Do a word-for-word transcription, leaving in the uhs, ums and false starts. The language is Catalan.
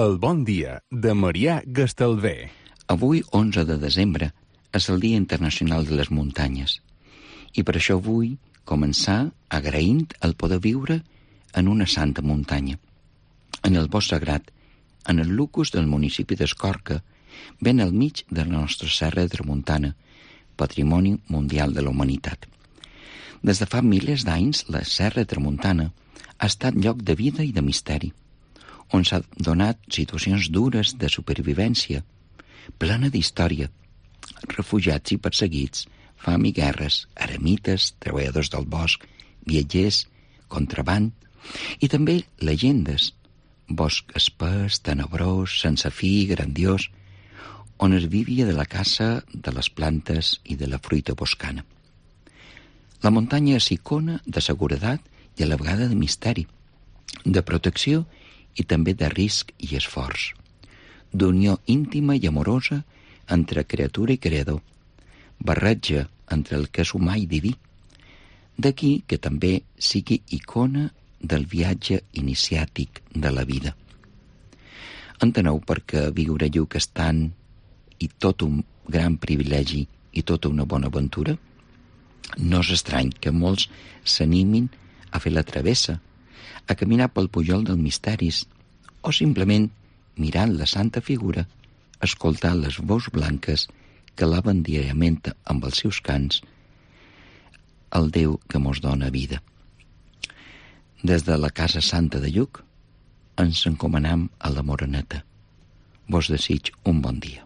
El bon dia de Marià Gastalver. Avui, onze de desembre, és el Dia Internacional de les Muntanyes. I per això vull començar agraint el poder viure en una santa muntanya. En el bosc sagrat, en el lucus del municipi d'Escorca, ben al mig de la nostra serra de Tramuntana, patrimoni mundial de la humanitat. Des de fa milers d'anys, la serra de Tramuntana ha estat lloc de vida i de misteri, on s'ha donat situacions dures de supervivència, plena d'història, refugiats i perseguits, fam i guerres, eremites, treballadors del bosc, viatgers, contraband, i també llegendes, bosc espès, tenebrós, sense fi, grandiós, on es vivia de la caça de les plantes i de la fruita boscana. La muntanya és icona de seguretat i a la vegada de misteri, de protecció i també de risc i esforç, d'unió íntima i amorosa entre criatura i creador, barreja entre el que és humà i diví. D'aquí que també sigui icona del viatge iniciàtic de la vida. Enteneu perquè viure lluc és tant i tot un gran privilegi i tota una bona aventura? No és estrany que molts s'animin a fer la travessa, a caminar pel pujol dels misteris, o simplement, mirant la santa figura, escoltar les veus blanques que laven diàriament amb els seus cants el Déu que mos dona vida. Des de la Casa Santa de Lluc ens encomanam a la Moreneta. Vos desig un bon dia.